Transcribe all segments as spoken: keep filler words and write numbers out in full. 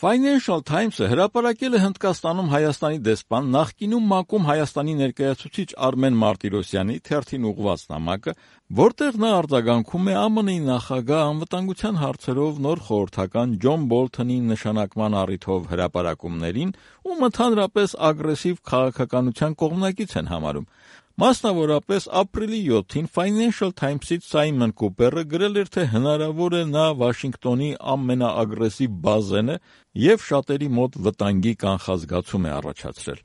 Financial Times-ը հրապարակել է Հնդկաստանում Հայաստանի դեսպան, նախկինում ՄԱԿ-ում Հայաստանի ներկայացուցիչ Արմեն Մարտիրոսյանի թերթին ուղղված նամակը, որտեղ նա արձագանքում է ԱՄՆ-ի նախագահ անվտանգության հարցերով նոր խորհրդական Ջոն Բոլթոնի նշանակման առիթով հրապարակումներին, ում ընդհանրապես ագրեսիվ քաղաքականության կողմնակից են համարում։ Մասնավորապես, ապրիլի յոթին Financial Times-ից Սայմոն Կուպերը գրել էր, թե հնարավոր է նա Վաշինգտոնի ամենաագրեսիվ բազեն է և շատերի մոտ վտանգի կանխազգացում է առաջացրել։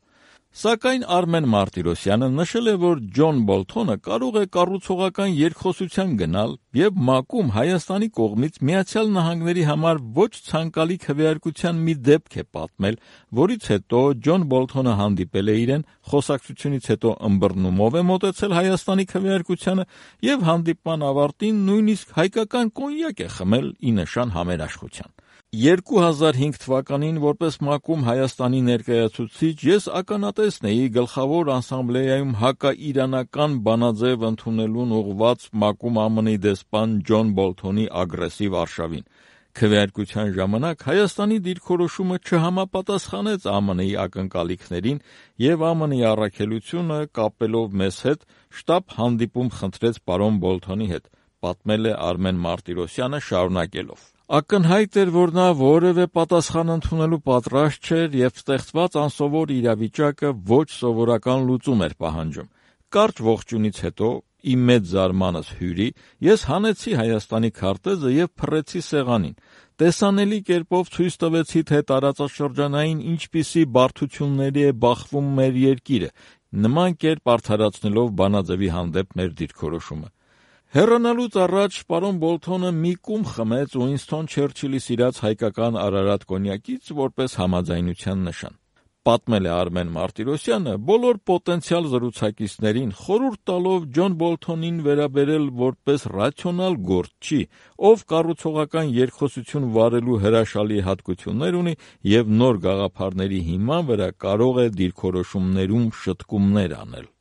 Սակայն Արմեն Մարտիրոսյանը նշել է, որ Ջոն Բոլթոնը կարող է կառուցողական երկխոսության գնալ և ՄԱԿ-ում Հայաստանի կողմից Միացյալ Նահանգների համար ոչ ցանկալի քվեարկության մի դեպք է պատմել, որից հետո Ջոն Բոլթոնը հանդիպել է իրեն, խոսակցությունից հետո ըմբռնումով է մոտեցել Հայաստանի քվեարկությանը և հանդիպման ավարտին նույնիսկ հայկական կոնյակ է խմել ի նշան համերաշխության։ երկու հազար հինգ թվականին որպես ՄԱԿ-ում Հայաստանի ներկայացուցիչ ես ականատեսն էի Գլխավոր ասամբլեայում հակաիրանական բանաձև ընդունելուն ուղղված ՄԱԿ-ում ԱՄՆ-ի դեսպան Ջոն Բոլթոնի ագրեսիվ արշավին։ Քվեարկության ժամանակ Հայաստանի դիրքորոշումը չհամապատասխանեց ԱՄՆ-ի ակնկալիքներին և ԱՄՆ-ի առաքելությունը, կապելով մեզ հետ, շտապ հանդիպում խնդրեց պարոն Բոլթոնի հետ, պատմել է Արմեն Մարտիրոսյանը շարունակելով. Ակնհայտ էր, որ նա որևէ պատասխան ընդունելու պատրաստ չէր և ստեղծված անսովոր իրավիճակը ոչ սովորական լուծում էր պահանջում։ Կարճ ողջույնից հետո, իմ մեծ զարմանս հյուրի, ես հանեցի Հայաստանի քարտեզը և փռեցի սեղանին։ Տեսանելի կերպով ցույց տվեցի, թե տարածաշրջանային ինչպիսի բարդությունների է բախվում մեր երկիրը, նման կերպ արդարացնելով բանաձևի հանդեպ մեր դիրքորոշումը։ Հեռանալուց առաջ պարոն Բոլթոնը մի կում խմեց Ուինսթոն Չերչիլի սիրած հայկական Արարատ կոնյակից որպես համաձայնության նշան։ Պատմել է Արմեն Մարտիրոսյանը, բոլոր պոտենցիալ զրուցակիցներին խորհուրդ տալով Ջոն Բոլթոնին վերաբերել որպես ռացիոնալ գործչի, ով կառուցողական երկխոսություն վարելու հրաշալի հատկություններ ունի և նոր գաղափարների հիման վրա կարող է դիրքորոշումներում շտկումներ անել։